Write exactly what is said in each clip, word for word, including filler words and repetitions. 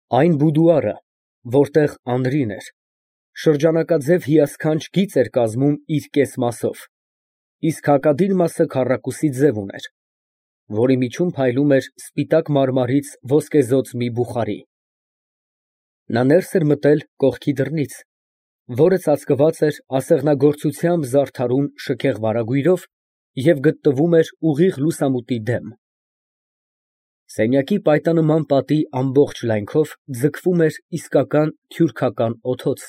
Այն բուդուարը, որտեղ Անդրին էր, շրջանակաձև հիասքանչ գիծ էր կազմում իր կես մասով, իսկ հակադիր մասը քառակուսի ձև ուներ, որի միջում փայլում էր սպիտակ մարմարից ոսկեզօծ մի բուխարի։ Նա ներս էր մտել կողքի դռնից, որը ծածկված էր ասեղնագործությամբ զարդարուն շքեղ վարագույրով և գտնվում էր ուղիղ լուսամուտի դեմ։ Սենյակի պայտանման պատի ամբողջ լայնքով ձգվում էր իսկական թյուրքական օդոց,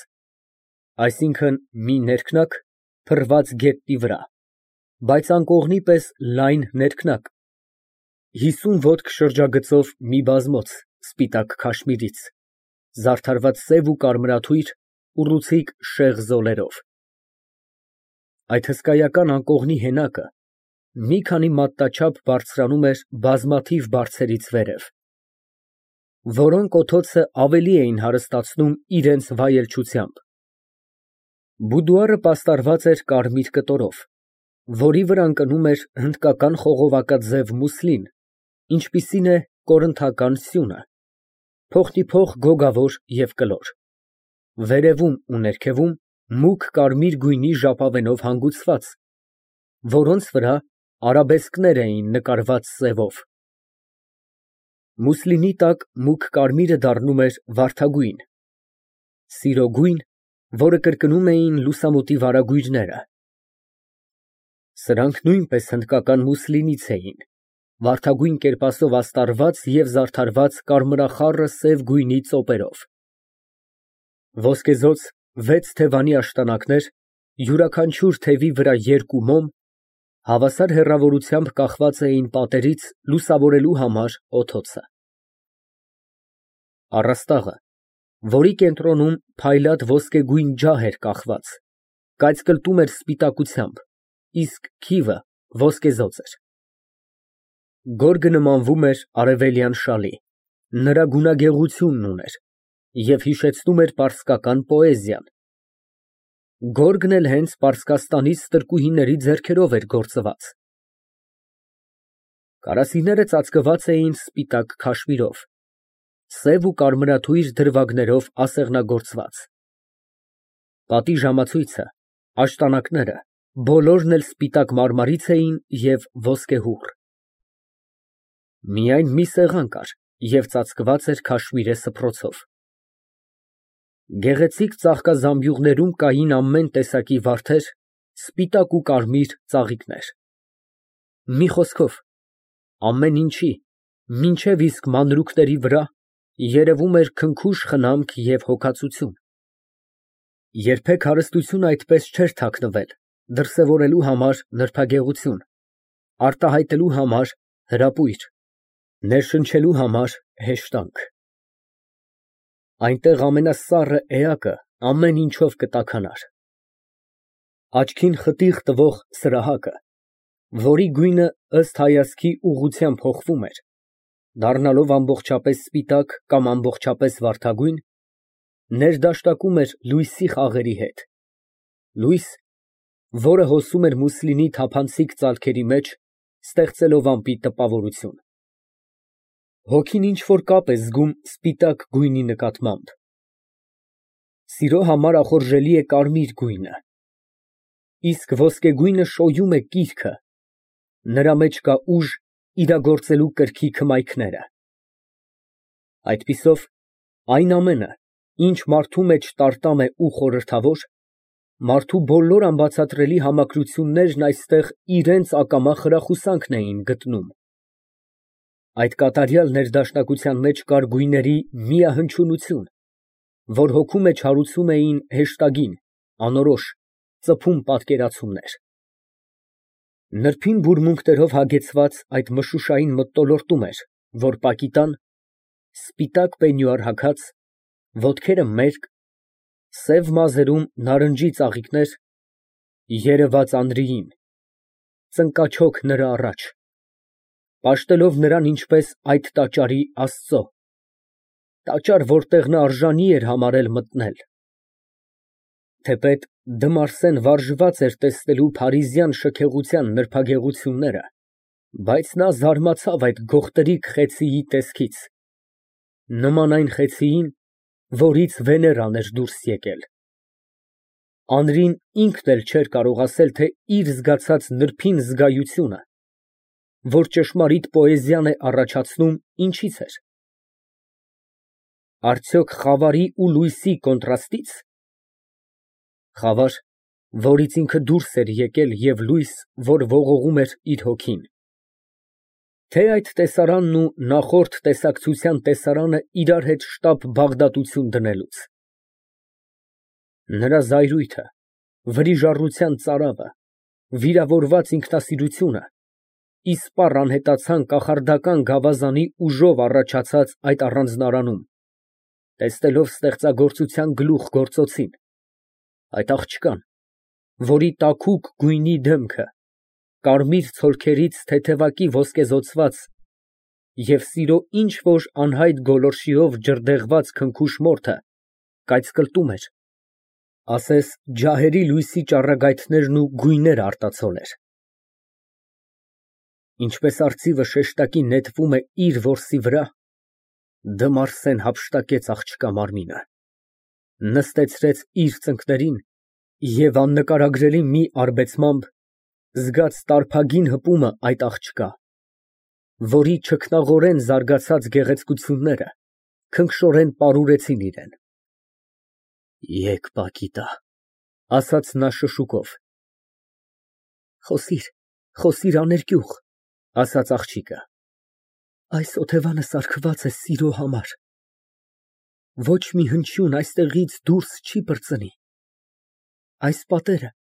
այսինքն՝ մի ներքնակ, փռված գետնի վրա, բայց անկողնի պես լայն ներքնակ, հիսուն ոտք շրջագծով մի բազմոց սպիտակ քաշմիրից, զարդարված սև ու կարմրաթույր, ուռուցիկ շեղ զոլերով։ Այդ հսկայական անկողնի հենակը մի քանի մատնաչափ բարձրանում էր բազմաթիվ բարձերից վերև, որոնք օդոցը ավելի էին հարստացնում իրենց վայելչությամբ։ Բուդուարը պաստառված էր կարմիր կտորով, որի վրա ընկնում էր հնդկական խողովակաձև մուսլին, ինչպիսին է կորինթական սյունը, փոխնիփոխ գոգավոր և կլոր, վերևում ու ներքևում մուգ կարմիր գույնի ժապավենով հանգուցված, որոնց վրա արաբեսկներ էին նկարված սևով։ Մուսլինի տակ մուգ կարմիրը դառնում էր վարդագույն, սիրոգույն, որը կրկնում էին լուսամուտի վարագույրները։ Սրանք նույնպես հնդկական մուսլինից էին, վարդագույն կերպասով աստառված և զարդարված կարմրախառը սև գույնի ծոպերով։ Ոսկեզօծ վեց թևանի աշտանակներ, յուրաքանչյուր թևի վրա երկու մոմ, հավասար հեռավորությամբ կախված էին պատերից լուսավորելու համար օդոցը։ Առաստաղը, որի կենտրոնում փայլատ ոսկեգույն ջահ էր կախված, կայծկլտում էր սպիտակությամբ, իսկ քիվը ոսկեզօծ էր։ Գորգը նմանվում էր արևելյան շալի, նրա գունագեղությունն ուներ և հիշեցնում էր պարսկական պոեզիան։ Գորգն էլ հենց Պարսկաստանից ստրկուհիների ձեռքերով էր գործված։ Կարասիները ծածկված էին սպիտակ քաշմիրով, սև ու կարմրաթույր դրվագներով ասեղնագործված։ Պատի ժամացույցը, աշտանակները, բոլորն էլ սպիտակ մարմարից էին և ոսկեհուռ։ Միայն մի սեղան կար և ծածկված էր քաշմիրե սփռոցով։ Գեղեցիկ ծաղկազամբյուղներում կային ամեն տեսակի վարդեր, սպիտակ ու կարմիր ծաղիկներ։ Մի խոսքով, ամեն ինչի, մինչև իսկ մանրուքների վրա երևում էր քնքուշ խնամք և հոգածություն։ Երբեք հարստությունը այդպես չէր թաքնվել դրսևորելու համար նրբագեղություն, արտահայտելու համար հրապույր, ներշնչելու համար հեշտանք։ Այնտեղ ամենասառը էակը ամեն ինչով կտաքանար։ Աչքին խտիղ տվող սրահակը, որի գույնը ըստ հայացքի ուղղության փոխվում էր, դառնալով ամբողջապես սպիտակ կամ ամբողջապես վարդագույն, ներդաշտակում էր լույսի խաղերի հետ, լույս, որը հոսում էր մուսլինի թափանցիկ ծալքերի մեջ, ստեղծելով ամպի տպավորություն։ Հոգին ինչ֊որ կապ է զգում սպիտակ գույնի նկատմամբ։ Սիրո համար ախորժելի է կարմիր գույնը, իսկ ոսկեգույնը շոյում է կիրքը, նրա մեջ կա ուժ իրագործելու կրքի հմայքները։ Այդպիսով, այն ամենը, ինչ մարդու մեջ տարտամ է ու խորհրդավոր, մարդու բոլոր անբացատրելի համակրություններն այստեղ իրենց ակամա խրախուսանքն էին գտնում։ Այդ կատարյալ ներդաշնակության մեջ կար գույների միահնչյունություն, որ հոգու մեջ հարուցում էին հեշտագին, անորոշ, ծփում պատկերացումներ։ Նրբին բուրմունքներով հագեցված այդ մշուշային մթնոլորտում էր, որ պակիտան, սպիտակ պենյուար հագած, ոտքերը մերկ, սև մազերում նարնջի ծաղիկներ, երևաց Անդրեին, ծնկաչոք նրա առաջ, պաշտելով նրան ինչպես այդ տաճարի Աստծո, տաճար, որտեղ նա արժանի էր համարել մտնել։ Թեպետ Դմարսեն վարժված էր տեսնելու փարիզյան շքեղության նրբագեղությունները, բայց նա զարմացավ այդ գողտրիկ խեցիի տեսքից, նման այն խեցիին, որից Վեներան էր դուրս եկել։ Անրին ինքն էլ չէր կարող ասել, թե իր զգացած նրբին զգայությունը, որ ճշմարիտ պոեզիան է առաջացնում, ինչից էր։ Արդյոք խավարի ու լույսի կոնտրաստի՞ց։ Խավար, որից ինքը դուրս էր եկել, և լույս, որ ողողում էր իր հոգին։ Թե այդ տեսարանն ու նախորդ տեսակցության տեսարանը իրար հետ շտապ բաղդատություն դնելուց։ Նրա զայրույթը, վրիժառության ծարավը, վիրավորված ինքնասիրությունը, իսպառ անհետացան կախարդական գավազանի ուժով առաջացած այդ առանձնարանում, տեսնելով ստեղծագործության գլուխ գործոցին, այդ աղջկան, որի տաքուկ գույնի դեմքը, կարմիր ցոլքերից թեթևակի ոսկեզօծված և սիրո ինչ֊որ անհայտ գոլորշիով ջրդեղված քնքուշ մորթը կայծկլտում էր, ասես ջահերի լույսի ճառագայթներն ու գույները արտացոլեր։ Ինչպես արծիվը շեշտակի նետվում է իր որսի վրա, Դը Մարսեն հափշտակեց աղջկա մարմինը, նստեցրեց իր ծնկներին և աննկարագրելի մի արբեցմամբ զգաց տարփագին հպումը այդ աղջկա, որի չքնաղորեն զարգացած գեղեցկությունները քնքշորեն պարուրեցին իրան։ Եկ, Պակիտա, ասաց նա շշուկով։ Խոսիր, խոսիր աներկյուղ, ասաց աղջիկը, այս օթևանը սարքված է սիրո համար, ոչ մի հնչյուն այստեղից դուրս չի պրծնի, այս պատերը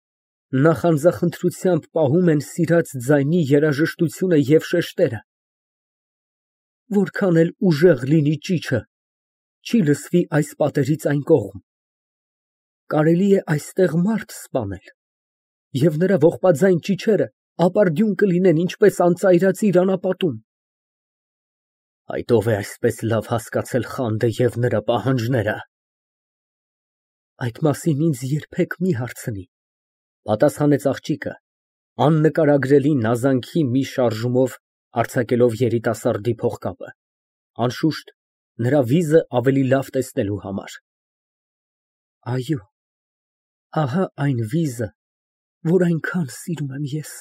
նախանձախնդրությամբ պահում են սիրած ձայնի երաժշտությունը և շեշտերը, որքան էլ ուժեղ լինի ճիչը, չի լսվի այս պատերից այն կողմ, կարելի է այստեղ մարդ սպանել, և նրա ողբաձայն ճիչերը ապարդյուն կլինեն, ինչպես անծայրածիր անապատում։ Այդ ո՞վ է այսպես լավ հասկացել խանդը և նրա պահանջները։ Այդ մասին ինձ երբեք մի հարցնի, պատասխանեց աղջիկը, աննկարագրելի նազանքի մի շարժումով արձակելով երիտասարդի փողկապը, անշուշտ, նրա վիզը ավելի լավ տեսնելու համար։ Այո, ահա այն վիզը, որ այնքան սիրում եմ ես,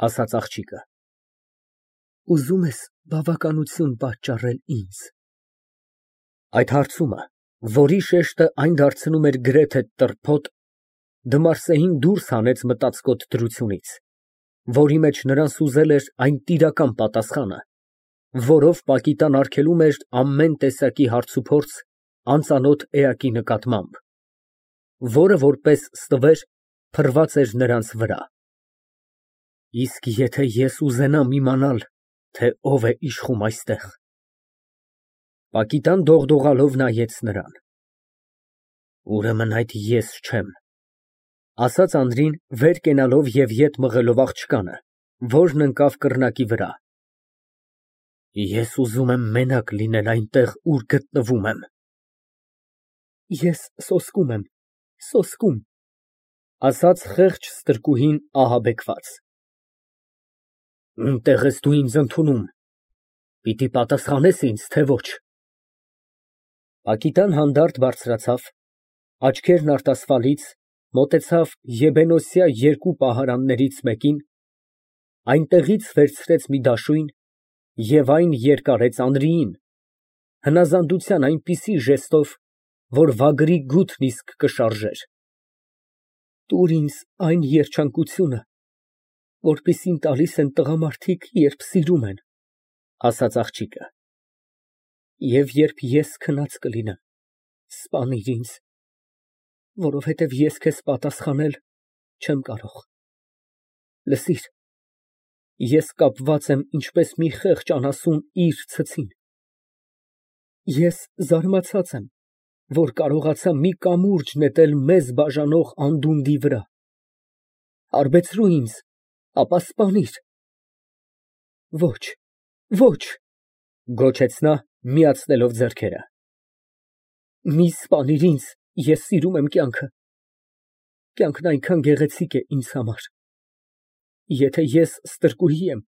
ասաց աղջիկը։ Ուզում ես բավականություն պատճառել ինձ։ Այդ հարցումը, որի շեշտը այն դարձնում էր գրեթե տրփոտ, Դը Մարսեին դուրս հանեց մտածկոտ դրությունից, որի մեջ նրան սուզել էր այն տիրական պատասխանը, որով Պակիտան արգելում էր ամեն տեսակի հարցուփորձ անծանոթ էակի նկատմամբ, որը որպես ստվեր փռված էր նրանց վրա։ Իսկ եթե ես ուզենամ իմանալ, թե ով է իշխում այստեղ։ Պակիտան դողդողալով նայեց նրան։ Ուրեմն այդ ես չեմ, ասաց Անդրին, վեր կենալով և ետ մղելով աղջկանը, որն ընկավ կռնակի վրա։ Ես ուզում եմ մենակ լինել այնտեղ, ուր գտնվում եմ։ Ես սոսկում եմ, սոսկում, ասաց խեղճ ստրկուհին ահաբեկված։ Ունտե՞ղ ես դու ինձ ընդունում, պիտի պատասխանես ինձ, թե ոչ։ Պակիտան հանդարտ բարձրացավ, աչքերն արտասվալից, մոտեցավ եբենոսյա երկու պահարաններից մեկին, այնտեղից վերցրեց մի դաշույն և այն երկարեց Անրիին, հնազանդության այնպիսի ժեստով, որ վագրի գութն իսկ կշարժեր։ Տուր ինձ այն երջանկությունը, որպիսին տալիս են տղամարդիկ, երբ սիրում են, ասաց աղջիկը, և երբ ես քնած կլինեմ, սպանիր ինձ, որովհետև ես քեզ պատասխանել չեմ կարող։ Լսիր, ես կապված եմ ինչպես մի խեղճ անասուն իր ցցին։ Ես զարմացած եմ, որ կարողացա մի կամուրջ նետել մեզ բաժանող անդունդի վրա։ Հարբեցրու ինձ, ապա սպանիր։ Ոչ, ոչ, գոչեց նա, միացնելով ձեռքերը։ Մի սպանիր ինձ, ես սիրում եմ կյանքը, կյանքն այնքան գեղեցիկ է ինձ համար։ Եթե ես ստրկուհի եմ,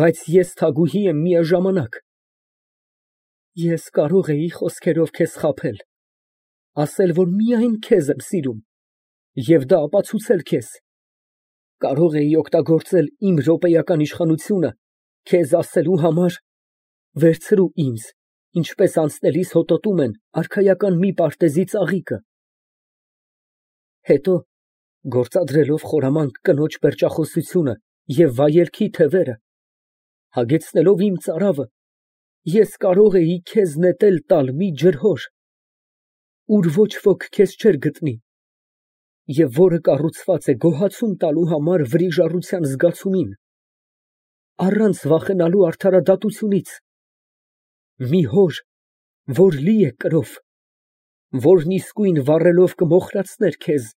բայց ես թագուհի եմ միաժամանակ։ Ես կարող էի խոսքերով քեզ խաբել, ասել, որ միայն քեզ եմ սիրում, և դա ապացուցել քեզ, կարող էի օգտագործել իմ րոպեական իշխանությունը քեզ ասելու համար. «Վերցրու ինձ, ինչպես անցնելիս հոտոտում են արքայական մի պարտեզի ծաղիկը»։ Հետո, գործադրելով խորամանկ կնոջ պերճախոսությունը և վայելքի թևերը, հագեցնելով իմ ծարավը, ես կարող էի քեզ նետել տալ մի ջրհոր, ուր ոչ ոք քեզ չէր գտնի, և որը կառուցված է գոհացում տալու համար վրիժառության զգացումին, առանց վախենալու արդարադատությունից, մի հոր, որ լի է կրով, որն իսկույն վառելով կմոխրացներ քեզ,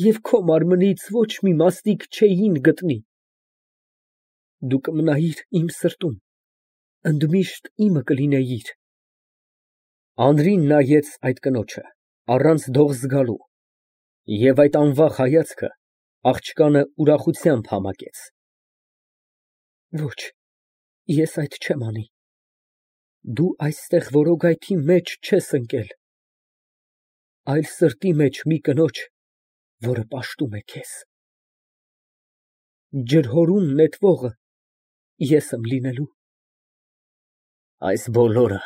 և քո մարմնից ոչ մի մասնիկ չէին գտնի։ Դու կմնայիր իմ սրտում, ընդմիշտ իմը կլինեիր։ Անրին նայեց այդ կնոջը, առանց դող զգալու, և այդ անվախ հայացքը աղջկանը ուրախությամբ համակեց։ Ոչ, ես այդ չեմ անի, դու այստեղ որոգայթի մեջ չես ընկել, այլ սրտի մեջ մի կնոջ, որը պաշտում է քեզ։ Ջրհորում նետվողը ես եմ լինելու։ Այս բոլորը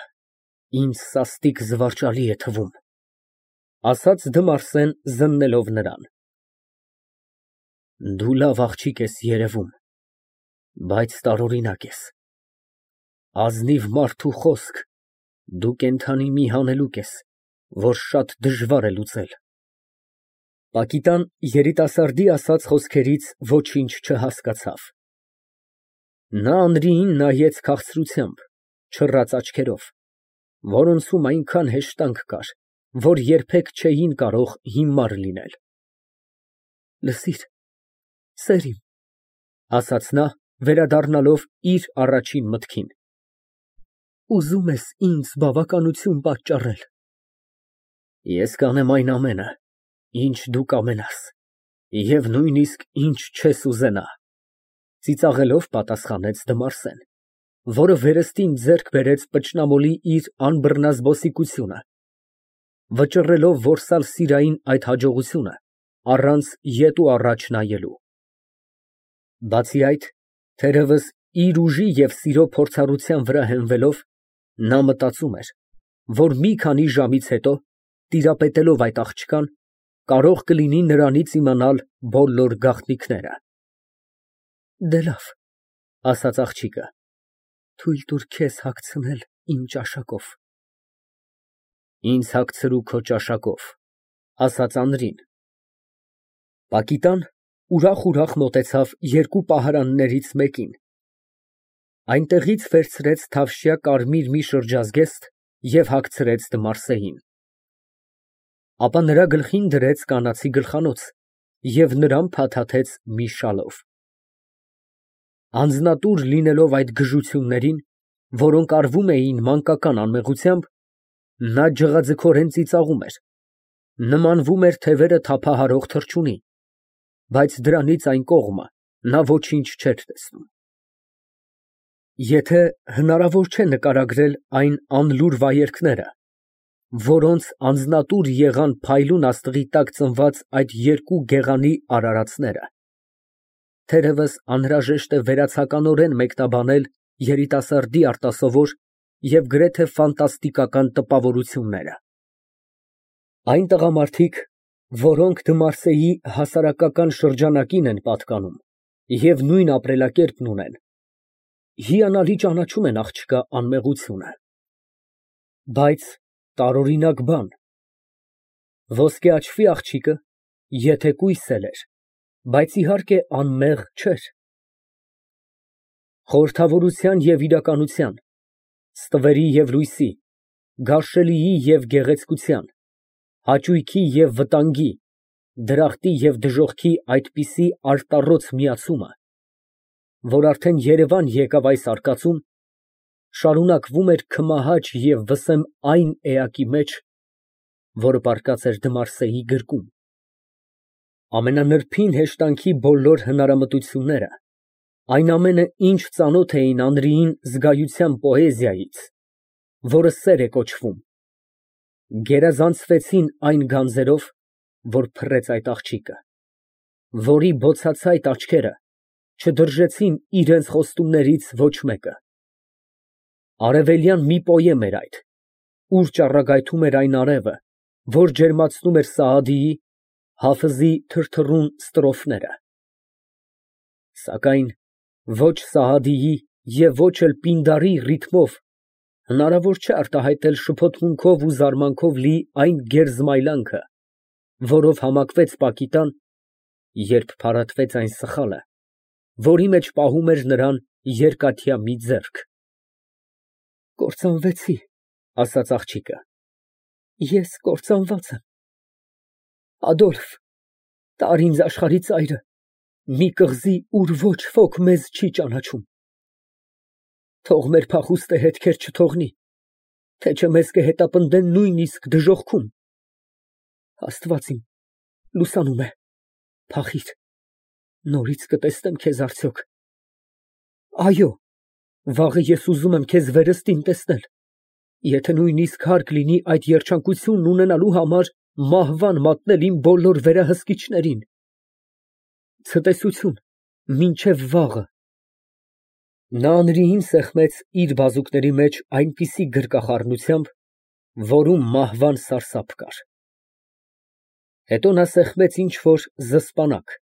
ինձ սաստիկ զվարճալի է թվում, ասաց Դմարսեն զննելով նրան։ Դու լավ աղջիկ ես երևում, բայց տարօրինակ ես, ազնիվ մարդու խոսք, դու կենդանի մի հանելուկ ես, որ շատ դժվար է լուծել։ Պակիտան երիտասարդի ասած խոսքերից ոչինչ չհասկացավ։ Նա Անրիին նայեց քաղցրությամբ, չռած աչքերով, որոնցում այնքան հեշտանք կար, որ երբեք չէին կարող հիմար լինել։ Լսիր, սեր իմ, ասաց նա, վերադառնալով իր առաջին մտքին, ուզո՞ւմ ես ինձ բավականություն պատճառել։ Ես կանեմ այն ամենը, ինչ դու կամենաս, և նույնիսկ ինչ չես ուզենա, ծիծաղելով պատասխանեց Դմարսեն, որը վերստին ձեռք բերեց պճնամոլի իր անբռնազբոսիկությունը, վճռելով որսալ սիրային այդ հաջողությունը, առանց ետ ու առաջ նայելու։ Բացի այդ, թերևս իր ուժի և սիրո փորձառության վրա հենվելով, նա մտածում էր, որ մի քանի ժամից հետո, տիրապետելով այդ աղջկան, կարող կլինի նրանից իմանալ բոլոր գաղտնիքները։ Դե լավ, ասաց աղջիկը, թույլ տուր քեզ հագցնել իմ ճաշակով։ Ինձ հագցրու քո ճաշակով, ասաց Անրին։ Պակիտան ուրախ֊ուրախ մոտեցավ երկու պահարաններից մեկին, այնտեղից վերցրեց թավշյա կարմիր մի շրջազգեստ և հագցրեց Դմարսեին, ապա նրա գլխին դրեց կանացի գլխանոց և նրան փաթաթեց մի շալով։ Անձնատուր լինելով այդ գժություններին, որոնք արվում էին մանկական անմեղությամբ, նա ջղաձգորեն ծիծաղում էր, նմանվում էր թևերը թափահարող թռչունի, բայց դրանից այն կողմը նա ոչինչ չէր տեսնում։ Եթե հնարավոր չէ նկարագրել այն անլուր վայելքները, որոնց անձնատուր եղան փայլուն աստղի տակ ծնված այդ երկու գեղանի արարածները, թերևս անհրաժեշտ է վերացականորեն մեկնաբանել երիտասարդի արտասովոր և գրեթե ֆանտաստիկական տպավորությունները։ Այն տղամարդիկ, որոնք Դմարսեի հասարակական շրջանակին են պատկանում և նույն ապրելակերպն ունեն, հիանալի ճանաչում են աղջկա անմեղությունը։ Բայց տարօրինակ բան, ոսկե աչքի աղջիկը, եթե կույս էլ էր, բայց իհարկե անմեղ չէր։ Խորհրդավորության և իրականության, ստվերի և լույսի, գարշելիի և գեղեցկության, հաճույքի և վտանգի, դրախտի և դժոխքի այդպիսի արտառոց միացումը, որ արդեն երևան եկավ այս արկածում, շարունակվում էր քմահաճ և վսեմ այն էակի մեջ, որը պառկած էր Դմարսեի գրկում, ամենանրբին հեշտանքի բոլոր հնարամտությունները, այն ամենը, ինչ ծանոթ էին Անրիին զգայության պոեզիայից, որը սեր է կոչվում։ Գերազանցվեցին այն գանձերով, որ փռեց այդ աղջիկը, որի բոցացայտ աչքերը չդրժեցին իրենց խոստումներից ոչ մեկը։ Արևելյան մի պոյեմ էր այդ, ուր ճառագայթում էր այն արևը, որ ջերմացնում էր Սաադիի, Հաֆզի թրթռուն ստրոֆները։ Սակայն ոչ Սաադիի և ոչ էլ Պինդարի ռիթմով հնարավոր չէ արտահայտել շփոթմունքով ու զարմանքով լի այն գերզմայլանքը, որով համակվեց Պակիտան, երբ փարատվեց այն սխալը, որի մեջ պահում էր նրան երկաթյա մի ձեռք։ Կործանվեցի, ասաց աղջիկը, ես կործանված եմ։ Ադոլֆ, տար ինձ աշխարհի ծայրը, մի կղզի, ուր ոչ ոք մեզ չի ճանաչում։ Թող մեր փախուստը հետքեր չթողնի, թե չէ մեզ կհետապնդեն նույնիսկ դժոխքում։ Աստված իմ, լուսանում է, փախիր, նորից կտեսնեմ քեզ արդյոք։ Այո, վաղը ես ուզում եմ քեզ վերստին տեսնել, եթե նույնիսկ հարկ լինի այդ երջանկությունն ունենալու համար մահվան մատնել իմ բոլոր վերահսկիչներին։ Ցտեսություն, մինչև վաղը։ Նա Անրիին սեղմեց իր բազուկների մեջ այնպիսի գրկախառնությամբ, որում մահվան սարսափ կար։ Հետո նա սեղմեց ինչ֊որ զսպանակ,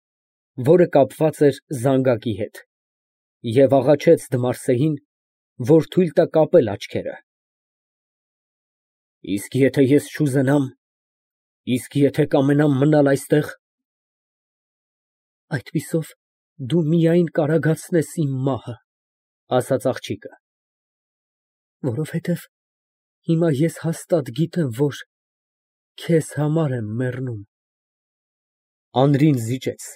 որը կապված էր զանգակի հետ, և աղաչեց Դմարսեին, որ թույլ տա կապել աչքերը։ Իսկ եթե ես չուզենամ, իսկ եթե կամենամ մնալ այստեղ։ Այդպիսով դու միայն կարագացնես իմ մահը, ասաց աղջիկը, որովհետև հիմա ես հաստատ գիտեմ, որ քեզ համար եմ մեռնում։ Անրին զիջեց։